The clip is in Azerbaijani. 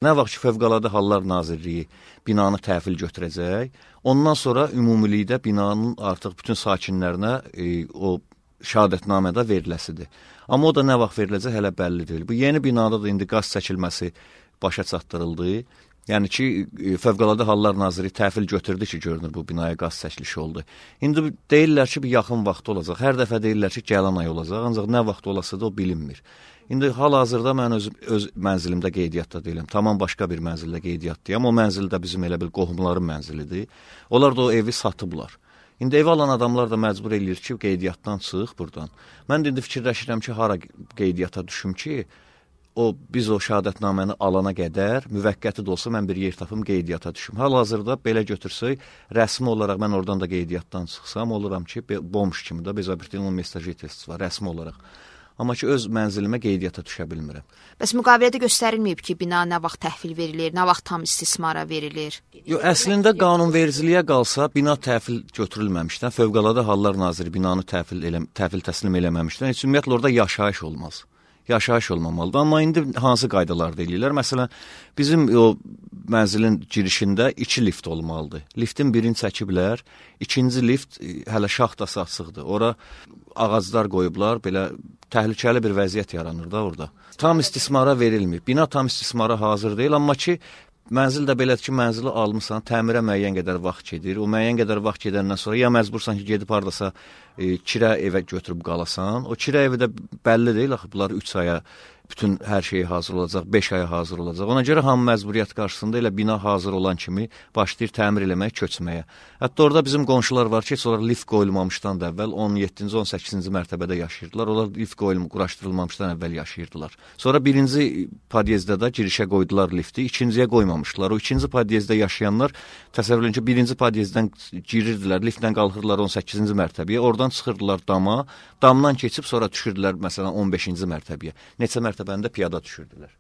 Nə vaxt ki, Fövqəladə Hallar Nazirliyi binanı təhvil götürəcək, ondan sonra ümumilikdə binanın artıq bütün sakinlərinə o şəhadətnamədə veriləsidir. Amma o da nə vaxt veriləcək hələ bəlli deyil. Bu yeni binada da indi qaz çəkilməsi başa çatdırıldı. Yəni ki, Fövqəladə Hallar Nazirliyi təhvil götürdü ki, görünür bu binaya qaz çəkilişi oldu. İndi deyirlər ki, bir yaxın vaxt olacaq. Hər dəfə deyirlər ki, gələn ay olacaq, ancaq nə vaxt olasıdır o bilinmir. İndi hal-hazırda mən öz mənzilimdə qeydiyyatda deyiləm. Tamam başqa bir mənzildə qeydiyyatdayım. O mənzildə bizim elə bil qohumların mənzilidir. Onlar da o evi satıblar. İndi ev alan adamlar da məcbur eləyir ki, qeydiyyatdan çıx buradan. Mən də indi fikirləşirəm ki, hara qeydiyyata düşüm ki, biz o şəhadətnaməni alana qədər, müvəqqəti də olsa mən bir yer tapım qeydiyyata düşüm. Hal-hazırda belə götürsək, rəsmi olaraq mən oradan da qeydiyyatdan çıxsam, oluram ki, bomş kimi də bezabirtinin mesajı var, rəsmi olaraq. Amma ki, öz mənzilimə qeydiyyata düşə bilmirəm. Bəs müqavilədə göstərilməyib ki, bina nə vaxt təhvil verilir, nə vaxt tam istismara verilir? Yox, əslində qanunvericiliyə qalsa, bina təhvil götürülməmişdən, Fövqəladə Hallar Naziri binanı təhvil təslim eləməmişdən, heç ümumiyyətlə orada yaşayış olmaz. Yaşayış olmamalıdır. Amma indi hansı qaydalarda eləyirlər? Məsələn, bizim o mənzilin girişində 2 lift olmalıdır. Liftin birini çəkiblər, ikinci lift hələ şaxtası açıqdır. Ora ağaclar qoyublar, belə təhlükəli bir vəziyyət yaranır da orada. Tam istismara verilmir. Bina tam istismara hazır deyil, amma ki, mənzil də belədir ki, mənzili almısan, təmirə müəyyən qədər vaxt gedir. O müəyyən qədər vaxt gedəndən sonra ya məcbursan ki, gedib haradasa kirə evə götürüb qalasan. O kirə evi də bəlli deyil, axı bunlar 3 aya bütün hər şeyi hazır olacaq, 5 aya hazır olacaq. Ona görə hamı məcburiyyət qarşısında elə bina hazır olan kimi başlayır təmir eləməyə, köçməyə. Hətta orada bizim qonşular var ki, heç onlar lift qoyulmamışdan da əvvəl 17-ci, 18-ci mərtəbədə yaşayırdılar. Onlar lift quraşdırılmamışdan əvvəl yaşayırdılar. Sonra birinci podyezddə də girişə qoydular lifti, ikinciyə qoymamışdılar. O ikinci podyezdə yaşayanlar təsəvvür edin ki, birinci podyezddən girirdilər, liftlə qalxırdılar 18-ci mərtəbəyə, oradan çıxırdılar dama, damdan keçib sonra düşürdülər məsələn 15-ci mərtəbəyə. Neçə mərtəbəndə piyada düşürdülər.